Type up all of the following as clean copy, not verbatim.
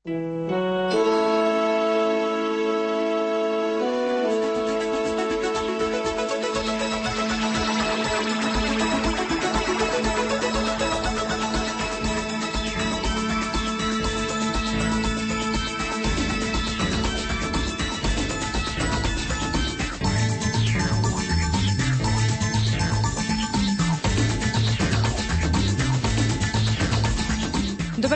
Dobar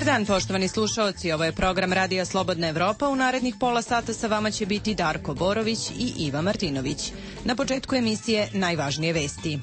dan, poštovani slušaoci. Ovo je program Radija Slobodna Evropa. U narednih pola sata sa vama će biti Darko Borović i Iva Martinović. Na početku emisije najvažnije vesti.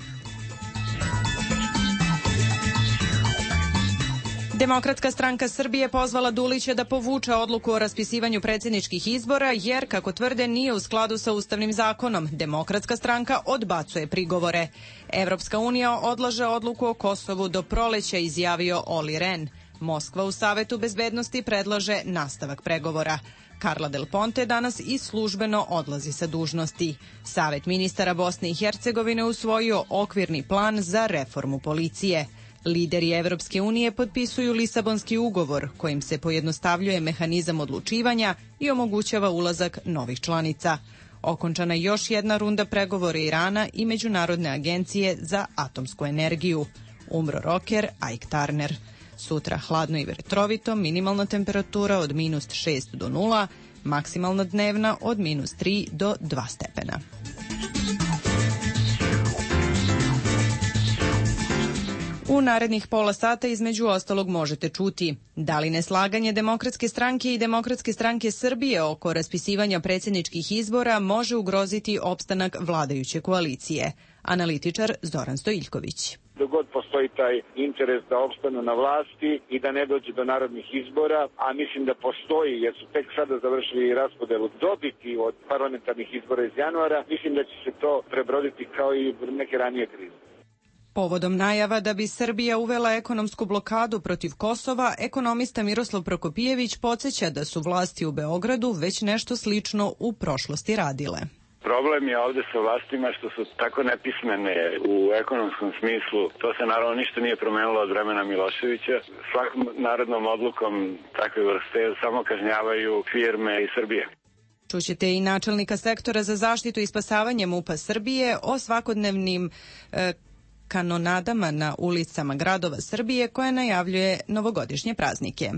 Demokratska stranka Srbije pozvala Dulića da povuče odluku o raspisivanju predsjedničkih izbora jer, kako tvrde, nije u skladu sa ustavnim zakonom. Demokratska stranka odbacuje prigovore. Evropska unija odlaže odluku o Kosovu do proleća, izjavio Olli Rehn. Moskva u Savetu bezbednosti predlaže nastavak pregovora. Carla Del Ponte danas i službeno odlazi sa dužnosti. Savet ministara Bosne i Hercegovine usvojio okvirni plan za reformu policije. Lideri Evropske unije potpisuju Lisabonski ugovor kojim se pojednostavljuje mehanizam odlučivanja i omogućava ulazak novih članica. Okončana još jedna runda pregovora Irana i Međunarodne agencije za atomsku energiju. Umro roker Ike Turner. Sutra hladno i vetrovito, minimalna temperatura od -6 do 0, maksimalna dnevna od -3 do 2 stepena. U narednih pola sata između ostalog možete čuti da li neslaganje Demokratske stranke i Demokratske stranke Srbije oko raspisivanja predsjedničkih izbora može ugroziti opstanak vladajuće koalicije. Analitičar Zoran Stojiljković. Dok god postoji taj interes da opstanu na vlasti i da ne dođe do narodnih izbora, a mislim da postoji jer su tek sada završili raspodelu dobiti od parlamentarnih izbora iz januara, mislim da će se to prebroditi kao i neke ranije krize. Povodom najava da bi Srbija uvela ekonomsku blokadu protiv Kosova, ekonomista Miroslav Prokopijević podsjeća da su vlasti u Beogradu već nešto slično u prošlosti radile. Problem je ovde sa vlastima što su tako nepismene u ekonomskom smislu. To se naravno ništa nije promenilo od vremena Miloševića. Svakom narodnom odlukom takve vrste samo kažnjavaju firme iz Srbije. Čućete i načelnika sektora za zaštitu i spasavanje MUP-a Srbije o svakodnevnim kanonadama na ulicama gradova Srbije koje najavljuje novogodišnje praznike.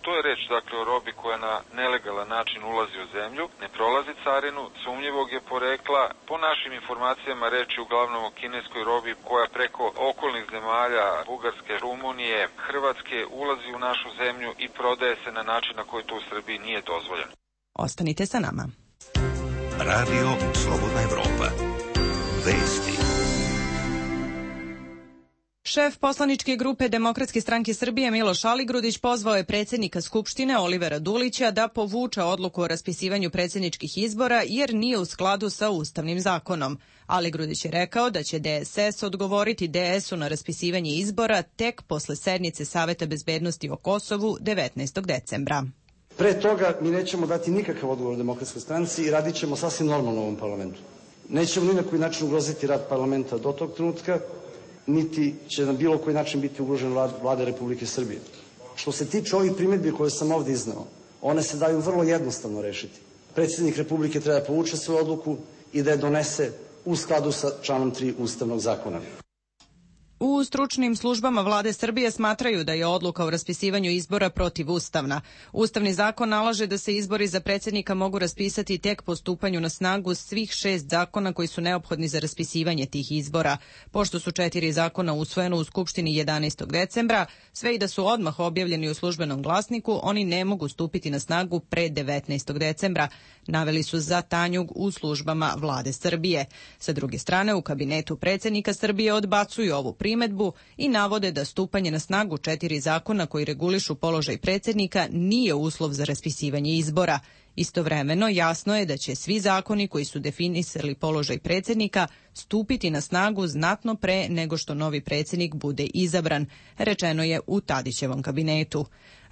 To je reč, dakle, o robi koja na nelegalan način ulazi u zemlju, ne prolazi carinu, sumnjivog je porekla. Po našim informacijama reč je uglavnom o kineskoj robi koja preko okolnih zemalja, Bugarske, Rumunije, Hrvatske, ulazi u našu zemlju i prodaje se na način na koji to u Srbiji nije dozvoljeno. Ostanite sa nama. Radio Slobodna Evropa. Vesti. Šef poslaničke grupe Demokratske stranke Srbije Miloš Aligrudić pozvao je predsjednika Skupštine Olivera Dulića da povuče odluku o raspisivanju predsjedničkih izbora jer nije u skladu sa ustavnim zakonom. Aligrudić je rekao da će DSS odgovoriti DS-u na raspisivanje izbora tek posle sednice Saveta bezbednosti o Kosovu 19. decembra. Pre toga mi nećemo dati nikakav odgovor Demokratskoj stranci i radit ćemo sasvim normalno u ovom parlamentu. Nećemo ni na koji način ugroziti rad parlamenta do tog trenutka, niti će na bilo koji način biti ugrožen Vlada Republike Srbije. Što se tiče ovih primjedbi koje sam ovdje izneo, one se daju vrlo jednostavno rešiti. Predsjednik Republike treba da povuče svoju odluku i da je donese u skladu sa članom 3 Ustavnog zakona. U stručnim službama Vlade Srbije smatraju da je odluka o raspisivanju izbora protivustavna. Ustavni zakon nalaže da se izbori za predsjednika mogu raspisati tek po stupanju na snagu svih 6 zakona koji su neophodni za raspisivanje tih izbora. Pošto su 4 zakona usvojena u Skupštini 11. decembra, sve i da su odmah objavljeni u službenom glasniku, oni ne mogu stupiti na snagu pre 19. decembra. Naveli su za Tanjug u službama Vlade Srbije. Sa druge strane, u kabinetu predsjednika Srbije odbacuju ovu primedbu i navode da stupanje na snagu 4 zakona koji regulišu položaj predsjednika nije uslov za raspisivanje izbora. Istovremeno, jasno je da će svi zakoni koji su definisali položaj predsjednika stupiti na snagu znatno pre nego što novi predsjednik bude izabran, rečeno je u Tadićevom kabinetu.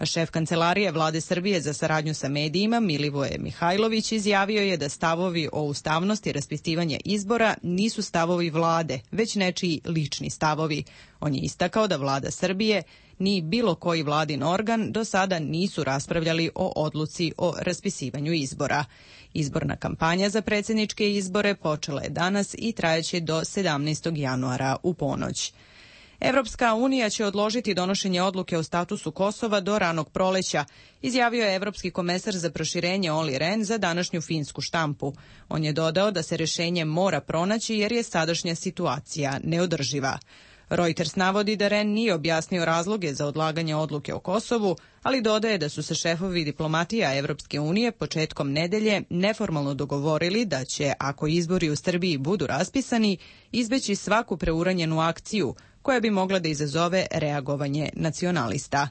Šef kancelarije Vlade Srbije za saradnju sa medijima Milivoje Mihajlović izjavio je da stavovi o ustavnosti raspisivanja izbora nisu stavovi Vlade, već nečiji lični stavovi. On je istakao da Vlada Srbije ni bilo koji vladin organ do sada nisu raspravljali o odluci o raspisivanju izbora. Izborna kampanja za predsjedničke izbore počela je danas i trajaće do 17. januara u ponoć. Evropska unija će odložiti donošenje odluke o statusu Kosova do ranog proleća, izjavio je evropski komesar za proširenje Olli Rehn za današnju finsku štampu. On je dodao da se rješenje mora pronaći jer je sadašnja situacija neodrživa. Reuters navodi da Rehn nije objasnio razloge za odlaganje odluke o Kosovu, ali dodaje da su se šefovi diplomatija Evropske unije početkom nedelje neformalno dogovorili da će, ako izbori u Srbiji budu raspisani, izbeći svaku preuranjenu akciju koja bi mogla da izazove reagovanje nacionalista.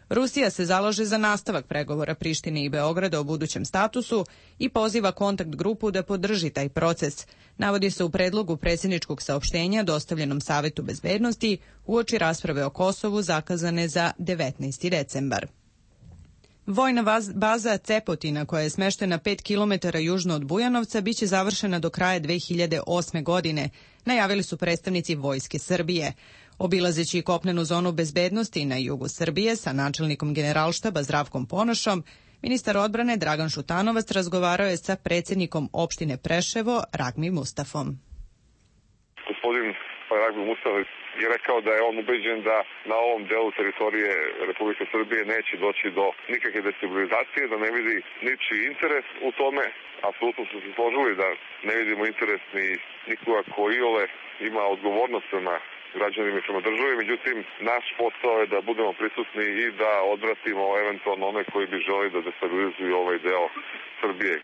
Rusija se zalaže za nastavak pregovora Prištine i Beograda o budućem statusu i poziva kontakt grupu da podrži taj proces, navodi se u predlogu predsjedničkog saopštenja dostavljenom Savetu bezbednosti uoči rasprave o Kosovu zakazane za 19. decembar. Vojna baza Cepotina, koja je smeštena 5 km južno od Bujanovca, biće završena do kraja 2008. godine, najavili su predstavnici Vojske Srbije. Obilazeći kopnenu zonu bezbednosti na jugu Srbije sa načelnikom Generalštaba Zdravkom Ponošom, ministar odbrane Dragan Šutanovac razgovarao je sa predsjednikom opštine Preševo Ragmi Mustafom. Gospodin Ragmi Mustafov je rekao da je on ubeđen da na ovom delu teritorije Republike Srbije neće doći do nikakve destabilizacije, da ne vidi ničiji interes u tome. Apsolutno su se složili da ne vidimo interes ni nikoga ko iole ima odgovornost prema građanima i prema državi, međutim, naš posao je da budemo prisutni i da odvratimo eventualno one koji bi želi da destabilizuju ovaj deo Srbije.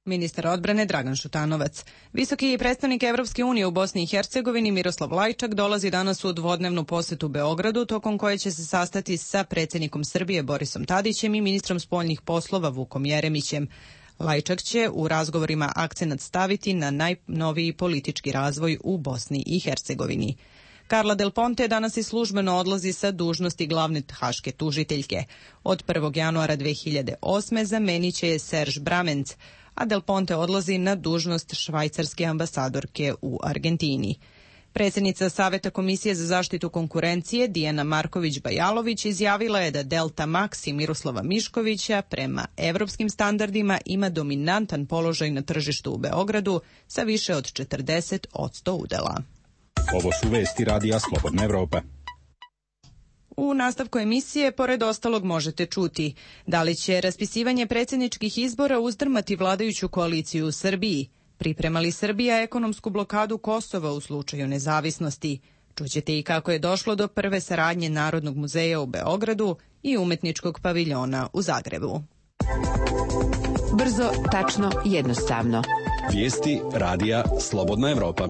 Ministar odbrane Dragan Šutanovac. Visoki predstavnik Evropske unije u Bosni i Hercegovini Miroslav Lajčak dolazi danas u dvodnevnu posetu Beogradu, tokom koje će se sastati sa predsjednikom Srbije Borisom Tadićem i ministrom spoljnih poslova Vukom Jeremićem. Lajčak će u razgovorima akcenat staviti na najnoviji politički razvoj u Bosni i Hercegovini. Carla Del Ponte danas i službeno odlazi sa dužnosti glavne haške tužiteljke. Od 1. januara 2008. zamenit će je Serge Bramenc, a Del Ponte odlazi na dužnost švajcarske ambasadorke u Argentini. Predsjednica Saveta Komisije za zaštitu konkurencije Dijana Marković-Bajalović izjavila je da Delta Max i Miroslava Miškovića prema evropskim standardima ima dominantan položaj na tržištu u Beogradu sa više od 40% udela. Ovo su vesti Radija Slobodna Evropa. U nastavku emisije, pored ostalog, možete čuti da li će raspisivanje predsjedničkih izbora uzdrmati vladajuću koaliciju u Srbiji, priprema li Srbija ekonomsku blokadu Kosova u slučaju nezavisnosti, čućete i kako je došlo do prve saradnje Narodnog muzeja u Beogradu i umetničkog paviljona u Zagrebu. Brzo, tačno, jednostavno. Vijesti Radija Slobodna Evropa.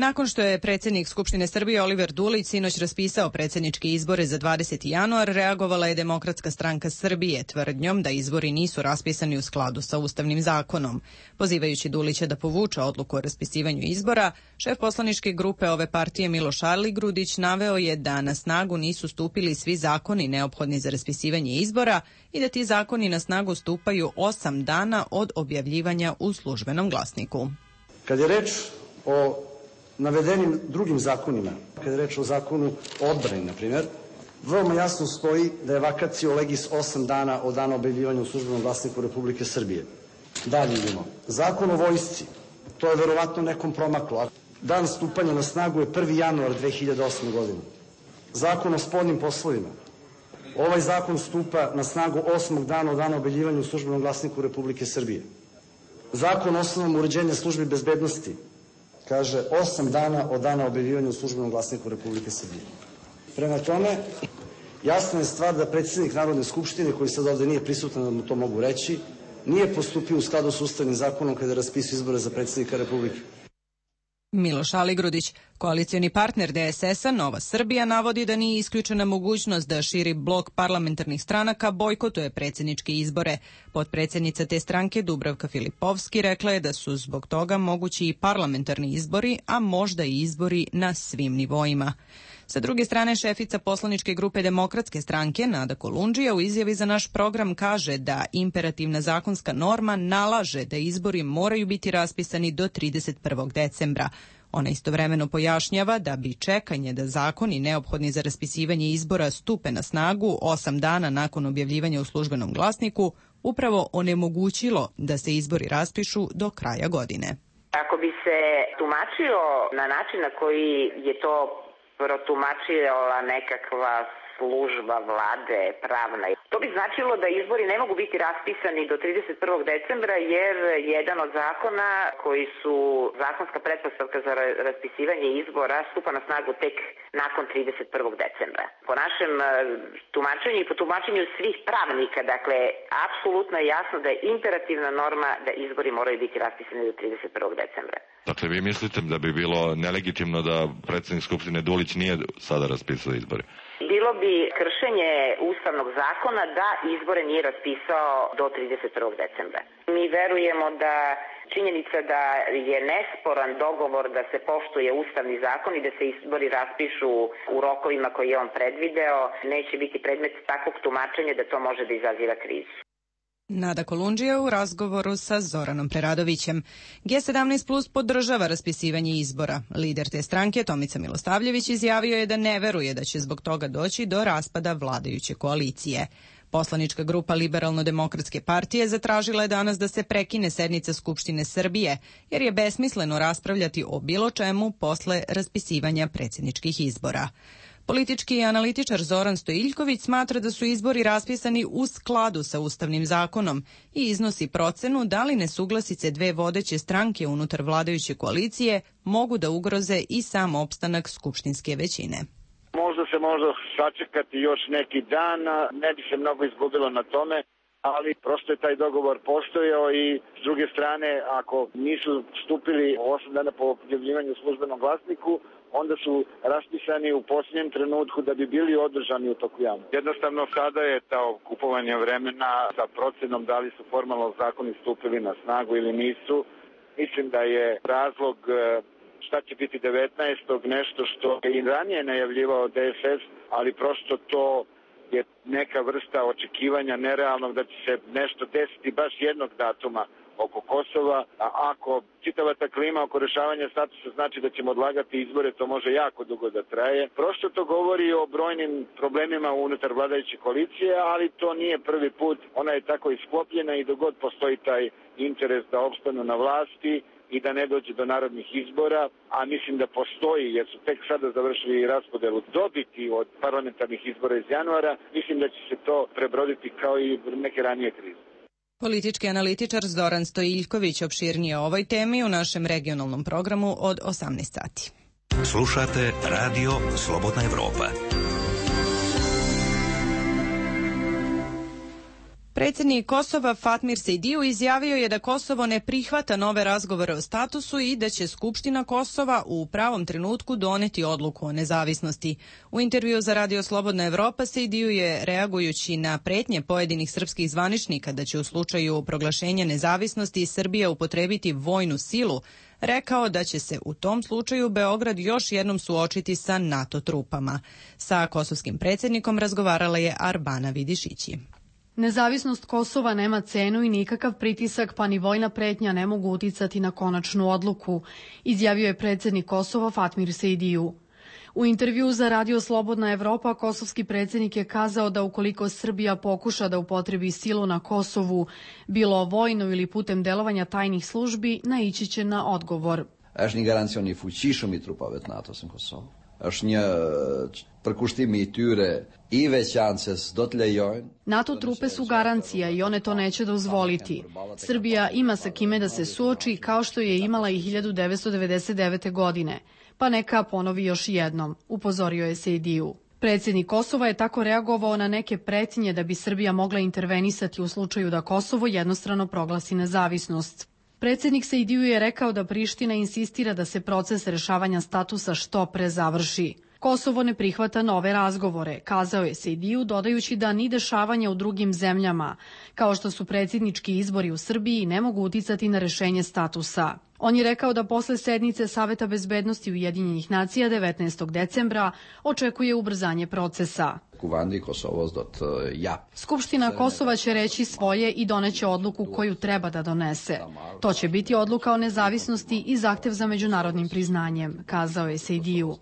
Nakon što je predsjednik Skupštine Srbije Oliver Dulić sinoć raspisao predsjedničke izbore za 20. januar, reagovala je Demokratska stranka Srbije tvrdnjom da izbori nisu raspisani u skladu sa Ustavnim zakonom. Pozivajući Dulića da povuče odluku o raspisivanju izbora, šef poslaničke grupe ove partije Miloš Aligrudić naveo je da na snagu nisu stupili svi zakoni neophodni za raspisivanje izbora i da ti zakoni na snagu stupaju 8 dana od objavljivanja u službenom glasniku. Kad je reč o navedenim drugim zakonima, kada je reč o zakonu o odbrani, na primjer, veoma jasno stoji da je vacatio legis 8 dana od dana objavljivanja u službenom glasniku Republike Srbije. Dalje idemo. Zakon o vojsci, to je verovatno nekom promaklo. Dan stupanja na snagu je 1. januar 2008. godine. Zakon o spoljnim poslovima. Ovaj zakon stupa na snagu 8. dana od dana objavljivanja u službenom glasniku Republike Srbije. Zakon o osnovama uređenja službi bezbednosti kaže 8 dana od dana objavljivanja u službenom glasniku Republike Srbije. Prema tome, jasna je stvar da predsjednik Narodne skupštine, koji sad ovdje nije prisutan da mu to mogu reći, nije postupio u skladu s Ustavnim zakonom kada raspisuje izbore za predsjednika Republike. Miloš Aligrudić, koalicioni partner DSS-a Nova Srbija, navodi da nije isključena mogućnost da širi blok parlamentarnih stranaka bojkotuje predsjedničke izbore. Potpredsjednica te stranke Dubravka Filipovski rekla je da su zbog toga mogući i parlamentarni izbori, a možda i izbori na svim nivoima. Sa druge strane, šefica poslaničke grupe Demokratske stranke Nada Kolundžija u izjavi za naš program kaže da imperativna zakonska norma nalaže da izbori moraju biti raspisani do 31. decembra. Ona istovremeno pojašnjava da bi čekanje da zakoni neophodni za raspisivanje izbora stupe na snagu 8 dana nakon objavljivanja u službenom glasniku upravo onemogućilo da se izbori raspišu do kraja godine. Ako bi se tumačio na način na koji je to protumačila nekakva služba vlade pravna, to bi značilo da izbori ne mogu biti raspisani do 31. decembra jer jedan od zakona koji su zakonska pretpostavka za raspisivanje izbora stupa na snagu tek nakon 31. decembra. Po našem tumačenju i po tumačenju svih pravnika, dakle, apsolutno je jasno da je imperativna norma da izbori moraju biti raspisani do 31. decembra. Dakle, vi mislite da bi bilo nelegitimno da predsjednik Skupštine Dulić nije sada raspisao izbore? Bilo bi kršenje ustavnog zakona da izbore nije raspisao do 31. decembra. Mi verujemo da činjenica da je nesporan dogovor da se poštuje ustavni zakon i da se izbori raspišu u rokovima koje je on predvideo, neće biti predmet takvog tumačenja da to može da izaziva krizu. Nada Kolundžija u razgovoru sa Zoranom Preradovićem. G17 Plus podržava raspisivanje izbora. Lider te stranke, Tomica Milosavljević, izjavio je da ne veruje da će zbog toga doći do raspada vladajuće koalicije. Poslanička grupa Liberalno-demokratske partije zatražila je danas da se prekine sednica Skupštine Srbije, jer je besmisleno raspravljati o bilo čemu posle raspisivanja predsjedničkih izbora. Politički analitičar Zoran Stojiljković smatra da su izbori raspisani u skladu sa ustavnim zakonom i iznosi procenu da li nesuglasice dve vodeće stranke unutar vladajuće koalicije mogu da ugroze i sam opstanak skupštinske većine. Možda se može sačekati još neki dan, ne bi se mnogo izgubilo na tome, ali prosto je taj dogovor postojao i s druge strane, ako nisu stupili 8 dana po objavljivanju u službenom glasniku, onda su raspisani u posljednjem trenutku da bi bili održani u toku javnosti. Jednostavno sada je to kupovanje vremena sa procenom da li su formalno zakoni stupili na snagu ili nisu. Mislim da je razlog šta će biti 19. nešto što je i ranije najavljivao DSS, ali prosto to je neka vrsta očekivanja nerealnog da će se nešto desiti baš jednog datuma oko Kosova, a ako čitava ta klima oko rešavanja statusa znači da ćemo odlagati izbore, to može jako dugo da traje. Prosto to govori o brojnim problemima unutar vladajuće koalicije, ali to nije prvi put. Ona je tako isklopljena i dok god postoji taj interes da opstanu na vlasti i da ne dođe do narodnih izbora, a mislim da postoji, jer su tek sada završili raspodelu dobiti od parlamentarnih izbora iz januara, mislim da će se to prebroditi kao i neke ranije krize. Politički analitičar Zoran Stojiljković opširnije o ovoj temi u našem regionalnom programu od 18 sati. Slušate Radio Slobodna Evropa. Predsjednik Kosova Fatmir Sejdiju izjavio je da Kosovo ne prihvata nove razgovore o statusu i da će Skupština Kosova u pravom trenutku doneti odluku o nezavisnosti. U intervju za Radio Slobodna Evropa Sejdiju je, reagujući na pretnje pojedinih srpskih zvaničnika da će u slučaju proglašenja nezavisnosti Srbija upotrebiti vojnu silu, rekao da će se u tom slučaju Beograd još jednom suočiti sa NATO trupama. Sa kosovskim predsjednikom razgovarala je Arbana Vidišići. Nezavisnost Kosova nema cenu i nikakav pritisak pa ni vojna pretnja ne mogu uticati na konačnu odluku, izjavio je predsjednik Kosova Fatmir Sejdiju. U intervju za Radio Slobodna Evropa kosovski predsjednik je kazao da ukoliko Srbija pokuša da upotrebi silu na Kosovu, bilo vojno ili putem delovanja tajnih službi, naići će na odgovor. Është një garancion I fuqishëm I trupave të NATO-s në Kosovë. Është një përkushtimi I tyre I veçantë se do të lejojnë. NATO trupe su garancija I one to neće dozvoliti. Srbija ima sa kime da se suoči kao što je imala I 1999. godine. Pa neka ponovi još jednom, upozorio je Sejdiju. Predsjednik Kosova je tako reagovao na neke pretnje da bi Srbija mogla intervenisati u slučaju da Kosovo jednostrano proglasi nezavisnost. Predsjednik Sejdiju je rekao da Priština insistira da se proces rešavanja statusa što pre završi. Kosovo ne prihvata nove razgovore, kazao je Sejdiju, dodajući da ni dešavanja u drugim zemljama, kao što su predsjednički izbori u Srbiji, ne mogu uticati na rešenje statusa. On je rekao da posle sednice Saveta bezbednosti Ujedinjenih nacija 19. decembra očekuje ubrzanje procesa. Skupština Kosova će reći svoje i doneće odluku koju treba da donese. To će biti odluka o nezavisnosti i zahtev za međunarodnim priznanjem, kazao je Sejdiju.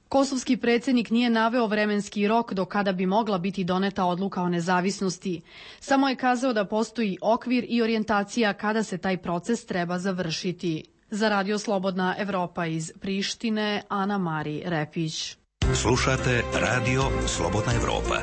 Kosovski predsjednik nije naveo vremenski rok do kada bi mogla biti doneta odluka o nezavisnosti. Samo je kazao da postoji okvir i orijentacija kada se taj proces treba završiti. Za Radio Slobodna Evropa iz Prištine, Ana Mari Repić. Slušate Radio Slobodna Evropa.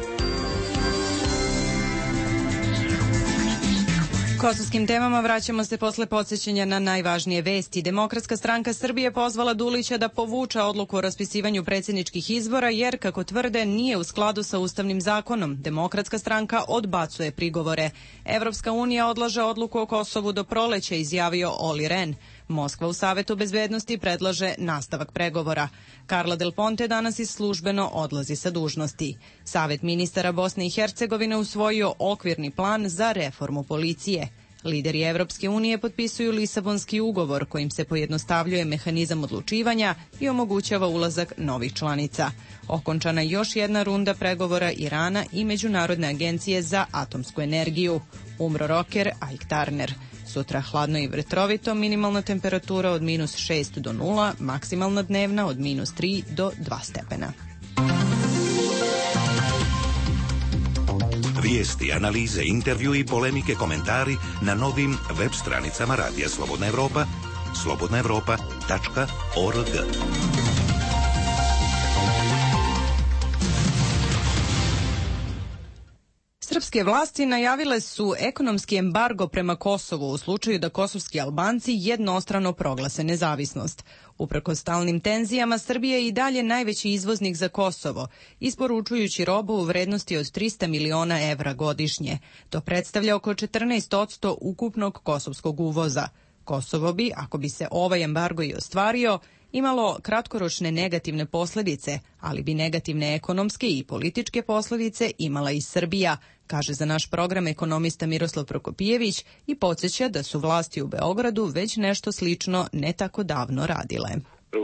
Kosovskim temama vraćamo se posle podsjećanja na najvažnije vesti. Demokratska stranka Srbije pozvala Dulića da povuče odluku o raspisivanju predsjedničkih izbora jer, kako tvrde, nije u skladu sa Ustavnim zakonom. Demokratska stranka odbacuje prigovore. Evropska unija odlaže odluku o Kosovu do proleća, izjavio Oli Ren. Moskva u Savetu bezbednosti predlaže nastavak pregovora. Carla Del Ponte danas i službeno odlazi sa dužnosti. Savet ministara Bosne i Hercegovine usvojio okvirni plan za reformu policije. Lideri Evropske unije potpisuju Lisabonski ugovor kojim se pojednostavljuje mehanizam odlučivanja i omogućava ulazak novih članica. Okončana je još jedna runda pregovora Irana i Međunarodne agencije za atomsku energiju. Umro roker Ike Turner. Sutra hladno i vetrovito, minimalna temperatura od -6 do 0, maksimalna dnevna od -3 do 2 stepena. Vijesti, analize, intervju i polemike, komentari na novim web stranicama Radija Slobodna Evropa, slobodnaevropa.org. Srpske vlasti najavile su ekonomski embargo prema Kosovu u slučaju da kosovski Albanci jednostrano proglase nezavisnost. Uprkos stalnim tenzijama, Srbija je i dalje najveći izvoznik za Kosovo, isporučujući robu u vrednosti od 300 miliona evra godišnje. To predstavlja oko 14% ukupnog kosovskog uvoza. Kosovo bi, ako bi se ovaj embargo i ostvario, imalo kratkoročne negativne posljedice, ali bi negativne ekonomske i političke posljedice imala i Srbija, kaže za naš program ekonomista Miroslav Prokopijević i podsjeća da su vlasti u Beogradu već nešto slično ne tako davno radile.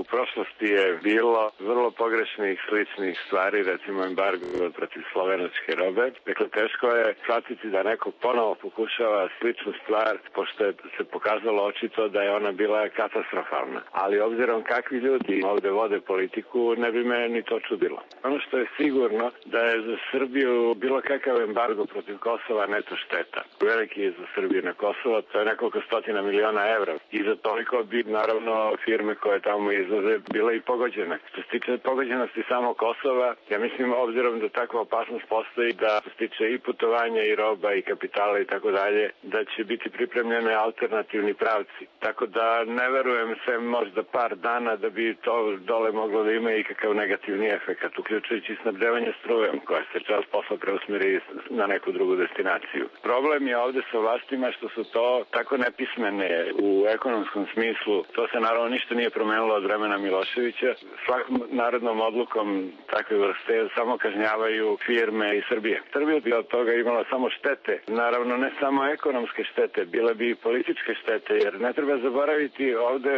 U prošlosti je bilo vrlo pogrešnih sličnih stvari, recimo embargo protiv slovenačke robe. Dakle, teško je shvatiti da neko ponovo pokušava sličnu stvar, pošto je se pokazalo očito da je ona bila katastrofalna. Ali obzirom kakvi ljudi ovde vode politiku, ne bi me ni to čudilo. Ono što je sigurno da je za Srbiju bilo kakav embargo protiv Kosova neto šteta. Veliki je za Srbiju na Kosovo, to je nekoliko stotina miliona evra. I za toliko bi, naravno, firme koje tamo izlaze bile i pogođene. Što se tiče pogođenosti samo Kosova, ja mislim, obzirom da takva opasnost postoji, da što se tiče i putovanja i roba i kapitala i tako dalje, da će biti pripremljene alternativni pravci. Tako da ne verujem sve možda par dana da bi to dole moglo da ima i kakav negativni efekt, uključujući snabdevanje strujem koja se čas posla preusmeri na neku drugu destinaciju. Problem je ovde sa vlastima što su to tako nepismene u ekonomskom smislu. To se naravno ništa nije promenilo od vremena Miloševića. Svakom narodnom odlukom takve vrste samo kažnjavaju firme iz Srbije. Srbija bi od toga imala samo štete. Naravno, ne samo ekonomske štete, bile bi i političke štete, jer ne treba zaboraviti, ovde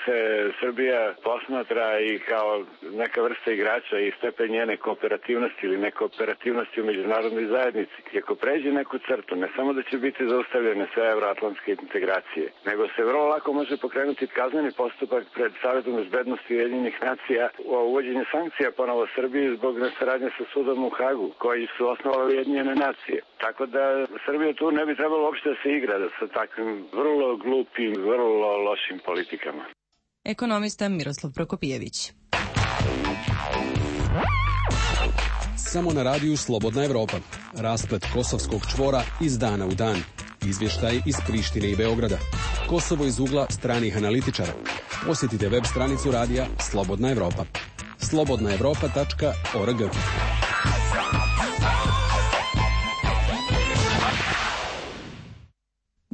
se Srbija posmatra i kao neka vrsta igrača i stepen njene kooperativnosti ili nekooperativnosti u međunarodnoj zajednici. I ako pređe neku crtu, ne samo da će biti zaustavljene sve evroatlantske integracije, nego se vrlo lako može pokrenuti kazneni postupak pred Savetom bezbednosti Ujedinjenih nacija o uvođenju sankcija ponovo Srbiji zbog nesaradnje sa sudom u Hagu, koji su osnovali Ujedinjene nacije. Tako da Srbija tu ne bi trebalo uopšte da se igra sa takvim vrlo glupim, vrlo lošim politikama. Ekonomista Miroslav Prokopijević. Samo na radiju Slobodna Evropa. Rasplet kosovskog čvora iz dana u dan. Izvještaj iz Prištine i Beograda. Kosovo iz ugla stranih analitičara. Posjetite web stranicu radija Slobodna Evropa. slobodnaevropa.org.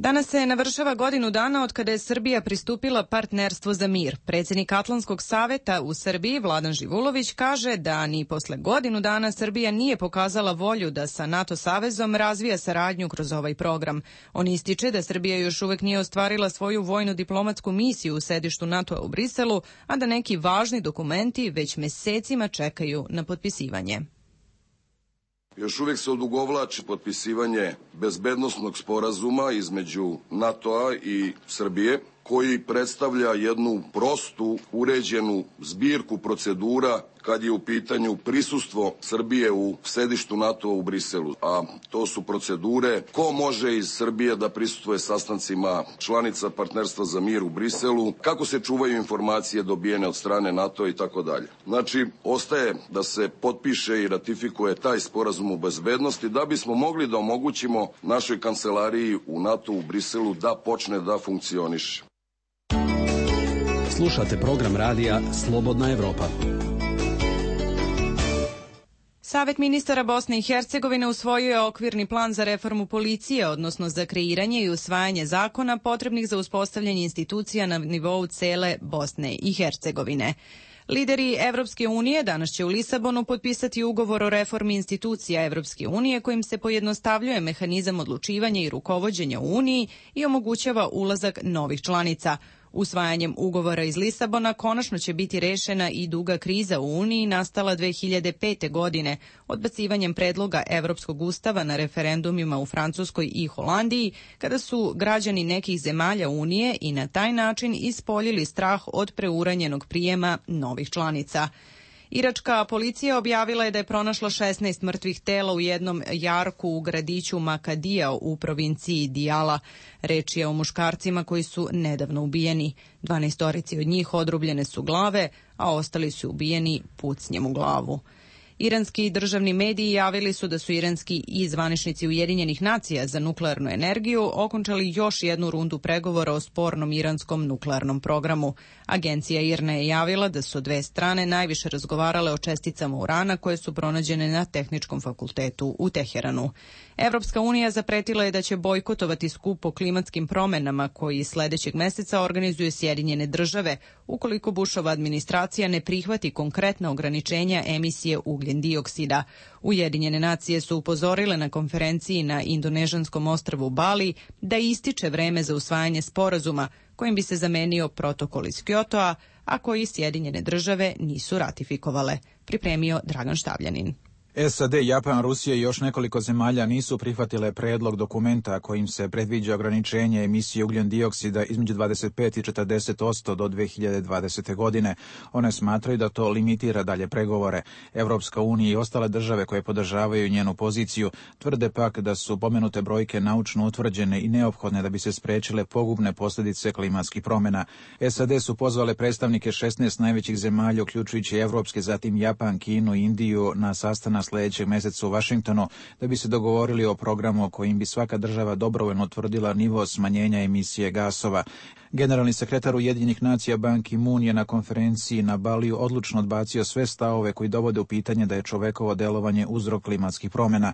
Danas se navršava godinu dana od kada je Srbija pristupila Partnerstvu za mir. Predsjednik Atlantskog saveta u Srbiji, Vladan Živulović, kaže da ni posle godinu dana Srbija nije pokazala volju da sa NATO savezom razvija saradnju kroz ovaj program. On ističe da Srbija još uvek nije ostvarila svoju vojno-diplomatsku misiju u sedištu NATO-a u Briselu, a da neki važni dokumenti već mesecima čekaju na potpisivanje. Još uvijek se odugovlači potpisivanje bezbednosnog sporazuma između NATO-a i Srbije, koji predstavlja jednu prostu, uređenu zbirku procedura kad je u pitanju prisustvo Srbije u sedištu NATO-a u Briselu. A to su procedure ko može iz Srbije da prisustvuje sastancima članica Partnerstva za mir u Briselu, kako se čuvaju informacije dobijene od strane NATO-a i tako dalje. Znači, ostaje da se potpiše i ratifikuje taj sporazum o bezbednosti da bismo mogli da omogućimo našoj kancelariji u NATO u Briselu da počne da funkcioniše. Slušate program radija Slobodna Evropa. Savet ministara Bosne i Hercegovine usvojio je okvirni plan za reformu policije, odnosno za kreiranje i usvajanje zakona potrebnih za uspostavljanje institucija na nivou cele Bosne i Hercegovine. Lideri Evropske unije danas će u Lisabonu potpisati ugovor o reformi institucija Evropske unije kojim se pojednostavljuje mehanizam odlučivanja i rukovođenja u Uniji i omogućava ulazak novih članica. Usvajanjem ugovora iz Lisabona konačno će biti rešena i duga kriza u Uniji nastala 2005. godine odbacivanjem predloga Evropskog ustava na referendumima u Francuskoj i Holandiji, kada su građani nekih zemalja Unije i na taj način ispoljili strah od preuranjenog prijema novih članica. Iračka policija objavila je da je pronašla 16 mrtvih tela u jednom jarku u gradiću Makadija u provinciji Dijala. Reč je o muškarcima koji su nedavno ubijeni. 12 od njih odrubljene su glave, a ostali su ubijeni pucnjem u glavu. Iranski državni mediji javili su da su iranski i zvaničnici Ujedinjenih nacija za nuklearnu energiju okončali još jednu rundu pregovora o spornom iranskom nuklearnom programu. Agencija IRNA je javila da su dve strane najviše razgovarale o česticama urana koje su pronađene na Tehničkom fakultetu u Teheranu. Evropska unija zapretila je da će bojkotovati skup o klimatskim promenama koji sledećeg meseca organizuje Sjedinjene države ukoliko Bushova administracija ne prihvati konkretna ograničenja emisije ugljen dioksida. Ujedinjene nacije su upozorile na konferenciji na indonežanskom ostrvu Bali da ističe vreme za usvajanje sporazuma kojim bi se zamenio protokol iz Kyotoa, a koji Sjedinjene države nisu ratifikovale. Pripremio Dragan Štavljanin. SAD, Japan, Rusija i još nekoliko zemalja nisu prihvatile predlog dokumenta kojim se predviđa ograničenje emisije ugljen dioksida između 25 i 40% do 2020. godine. One smatraju da to limitira dalje pregovore. Evropska unija i ostale države koje podržavaju njenu poziciju tvrde pak da su pomenute brojke naučno utvrđene i neophodne da bi se sprečile pogubne posljedice klimatskih promjena. SAD su pozvale predstavnike 16 najvećih zemalja, uključujući evropske, zatim Japan, Kinu i Indiju, na sastanak sljedećeg meseca u Vašingtonu da bi se dogovorili o programu kojim bi svaka država dobrovoljno utvrdila nivo smanjenja emisije gasova. Generalni sekretar Ujedinjenih nacija Ban Ki-moon je na konferenciji na Baliju odlučno odbacio sve stavove koji dovode u pitanje da je čovekovo delovanje uzrok klimatskih promjena.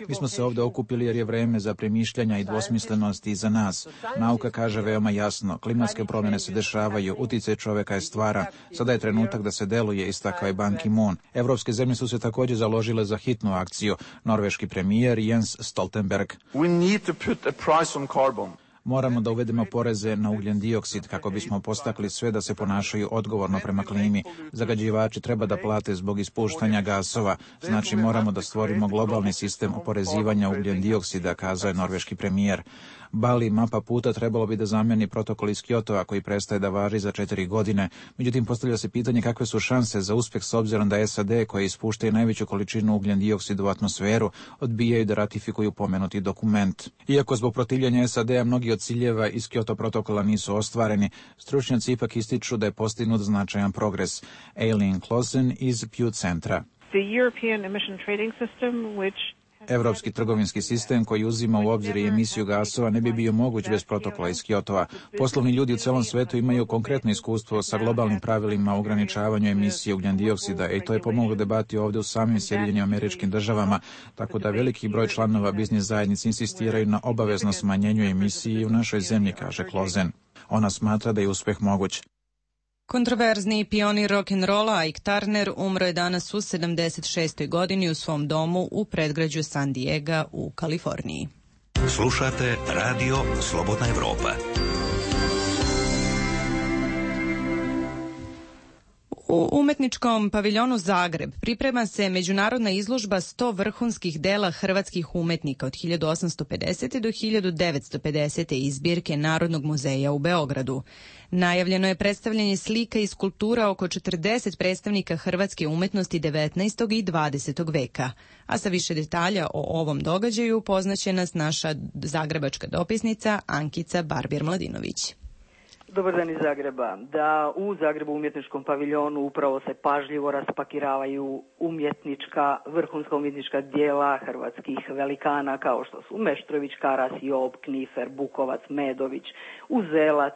Mi smo se ovdje okupili jer je vreme za premišljanja i dvosmislenosti iza nas. Nauka kaže veoma jasno, klimatske promjene se dešavaju, uticaj čoveka je stvaran. Sada je trenutak da se deluje, istakao je Ban Ki-moon. Evropske zemlje su se također založile za hitnu akciju. Norveški premijer Jens Stoltenberg. Moramo da uvedemo poreze na ugljen dioksid kako bismo postakli sve da se ponašaju odgovorno prema klimi. Zagađivači treba da plate zbog ispuštanja gasova. Znači moramo da stvorimo globalni sistem oporezivanja ugljen dioksida, kazao je norveški premijer. Bali, mapa puta, trebalo bi da zameni protokol iz Kyotoa koji prestaje da važi za 4 godine. Međutim, postavlja se pitanje kakve su šanse za uspjeh s obzirom da SAD, koje ispuštaju najveću količinu ugljen dioksida u atmosferu, odbijaju da ratifikuju pomenuti dokument. Iako zbog protivljenja SAD-a mnogi od ciljeva iz Kyoto protokola nisu ostvareni, stručnjaci ipak ističu da je postignut značajan progres. Aileen Clausen iz Pew centra. Evropski trgovinski sistem koji uzima u obzir i emisiju gasova ne bi bio moguć bez protokola iz Kyotova. Poslovni ljudi u celom svetu imaju konkretno iskustvo sa globalnim pravilima o ograničavanju emisije ugljendioksida i to je pomoglo debati ovdje u samim Sjedinjenim Američkim Državama, tako da veliki broj članova biznis zajednice insistiraju na obavezno smanjenju emisiji u našoj zemlji, kaže Klozen. Ona smatra da je uspeh moguć. Kontroverzni pionir rock'n'rolla Ike Turner umro je danas u 76. godini u svom domu u predgrađu San Diega u Kaliforniji. Slušate Radio Slobodna Evropa. U umetničkom paviljonu Zagreb priprema se međunarodna izložba 100 vrhunskih dela hrvatskih umetnika od 1850. do 1950. iz zbirke Narodnog muzeja u Beogradu. Najavljeno je predstavljanje slika i skulptura oko 40 predstavnika hrvatske umetnosti 19. i 20. veka. A sa više detalja o ovom događaju poznaće nas naša zagrebačka dopisnica Ankica Barbir-Mladinović. Dobar dan iz Zagreba. Da, u Zagrebu umjetničkom paviljonu upravo se pažljivo raspakiravaju vrhunska umjetnička djela hrvatskih velikana kao što su Meštrović, Karas, Job, Knifer, Bukovac, Medović, Uzelac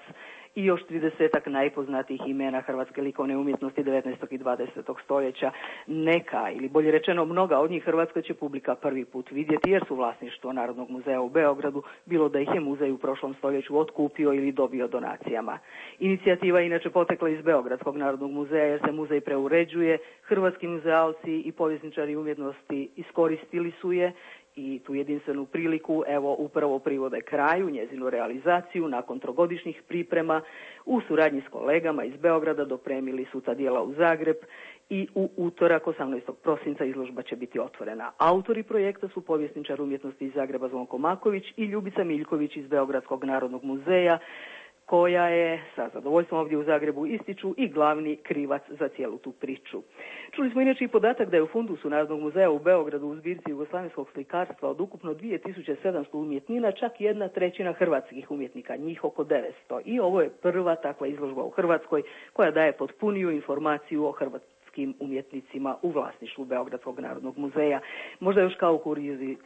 i još 30-ak najpoznatijih imena hrvatske likovne umjetnosti 19. i 20. stoljeća. Neka, ili bolje rečeno mnoga od njih Hrvatska će publika prvi put vidjeti jer su vlasništvo Narodnog muzeja u Beogradu, bilo da ih je muzej u prošlom stoljeću otkupio ili dobio donacijama. Inicijativa je inače potekla iz Beogradskog Narodnog muzeja jer se muzej preuređuje, hrvatski muzealci i povjesničari umjetnosti iskoristili su je i tu jedinstvenu priliku evo upravo privode kraju, njezinu realizaciju nakon trogodišnjih priprema u suradnji s kolegama iz Beograda dopremili su ta djela u Zagreb i u utorak 18. prosinca izložba će biti otvorena. Autori projekta su povjesničar umjetnosti iz Zagreba Zvonko Maković i Ljubica Miljković iz Beogradskog Narodnog muzeja, koja je sa zadovoljstvom ovdje u Zagrebu ističu i glavni krivac za cijelu tu priču. Čuli smo inače i podatak da je u fundusu Narodnog muzeja u Beogradu u zbirci jugoslavenskog slikarstva od ukupno 2700 umjetnina čak 1/3 hrvatskih umjetnika, njih oko 900. I ovo je prva takva izložba u Hrvatskoj koja daje potpuniju informaciju o hrvatskim umjetnicima u vlasništvu Beogradskog Narodnog muzeja. Možda još kao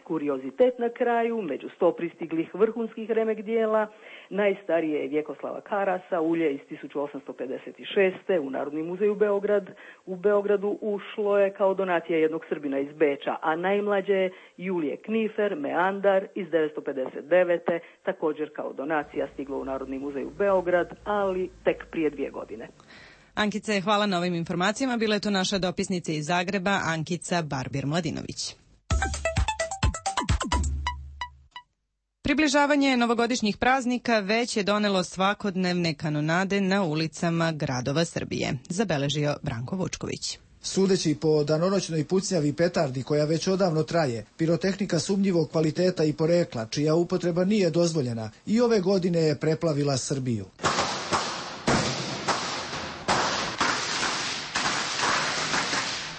kuriozitet na kraju, među 100 pristiglih vrhunskih remek dijela, najstarije je Vjekoslava Karasa, ulje iz 1856. u Narodni muzej u Beogradu ušlo je kao donacija jednog Srbina iz Beča, a najmlađe je Julije Knifer, Meandar iz 1959. također kao donacija stiglo u Narodni muzej u Beograd, ali tek prije 2 godine. Ankice, hvala na ovim informacijama. Bila je to naša dopisnica iz Zagreba, Ankica Barbir-Mladinović. Približavanje novogodišnjih praznika već je donelo svakodnevne kanonade na ulicama gradova Srbije, zabeležio Branko Vučković. Sudeći po danonoćnoj pucnjavi petardi koja već odavno traje, pirotehnika sumnjivog kvaliteta i porekla, čija upotreba nije dozvoljena, i ove godine je preplavila Srbiju.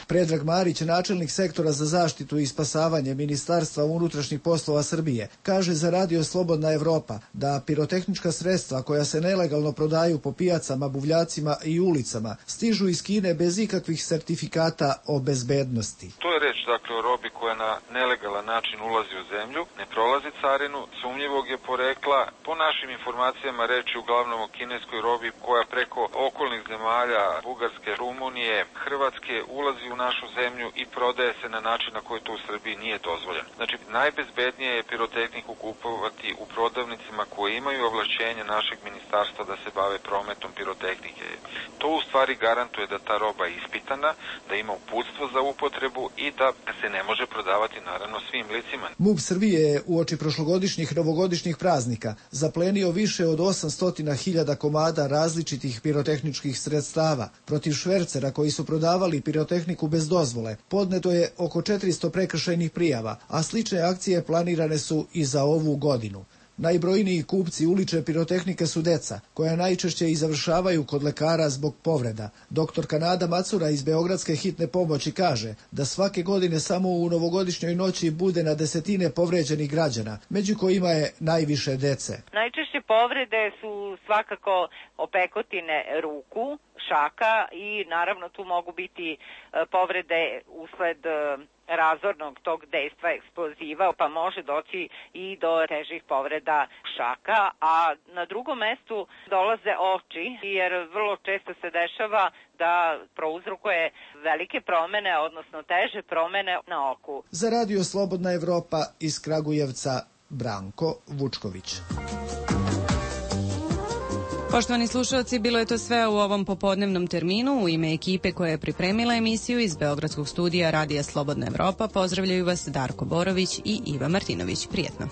Predrag Marić, načelnik sektora za zaštitu i spasavanje Ministarstva unutrašnjih poslova Srbije, kaže za Radio Slobodna Evropa da pirotehnička sredstva koja se nelegalno prodaju po pijacama, buvljacima i ulicama stižu iz Kine bez ikakvih sertifikata o bezbednosti. To je reč, dakle, o robi koja na nelegalan način ulazi u zemlju, ne prolazi carinu, sumnjivog je porekla. Po našim informacijama reč je uglavnom o kineskoj robi koja preko okolnih zemalja, Bugarske, Rumunije, Hrvatske ulazi u našu zemlju i prodaje se na način na koji to u Srbiji nije dozvoljeno. Znači, najbezbednije je pirotehniku kupovati u prodavnicima koje imaju ovlašćenje našeg ministarstva da se bave prometom pirotehnike. To u stvari garantuje da ta roba je ispitana, da ima uputstvo za upotrebu i da se ne može prodavati naravno svim licima. MUP Srbije je uoči prošlogodišnjih novogodišnjih praznika zaplenio više od 800.000 komada različitih pirotehničkih sredstava. Protiv švercera koji su prodavali pirotehniku bez dozvole podneto je oko 400 prekršajnih prijava, a slične akcije planirane su i za ovu godinu. Najbrojniji kupci ulične pirotehnike su deca, koja najčešće i završavaju kod lekara zbog povreda. Doktorka Nada Macura iz Beogradske hitne pomoći kaže da svake godine samo u novogodišnjoj noći bude na desetine povređenih građana, među kojima je najviše dece. Najčešće povrede su svakako opekotine ruku, šaka i naravno tu mogu biti povrede usled razornog tog dejstva eksploziva, pa može doći i do težih povreda šaka, a na drugom mestu dolaze oči, jer vrlo često se dešava da prouzrokuje velike promene, odnosno teže promene na oku. Za Radio Slobodna Evropa iz Kragujevca, Branko Vučković. Poštovani slušalci, bilo je to sve u ovom popodnevnom terminu. U ime ekipe koja je pripremila emisiju iz Beogradskog studija Radija Slobodna Evropa pozdravljaju vas Darko Borović i Iva Martinović. Prijetno.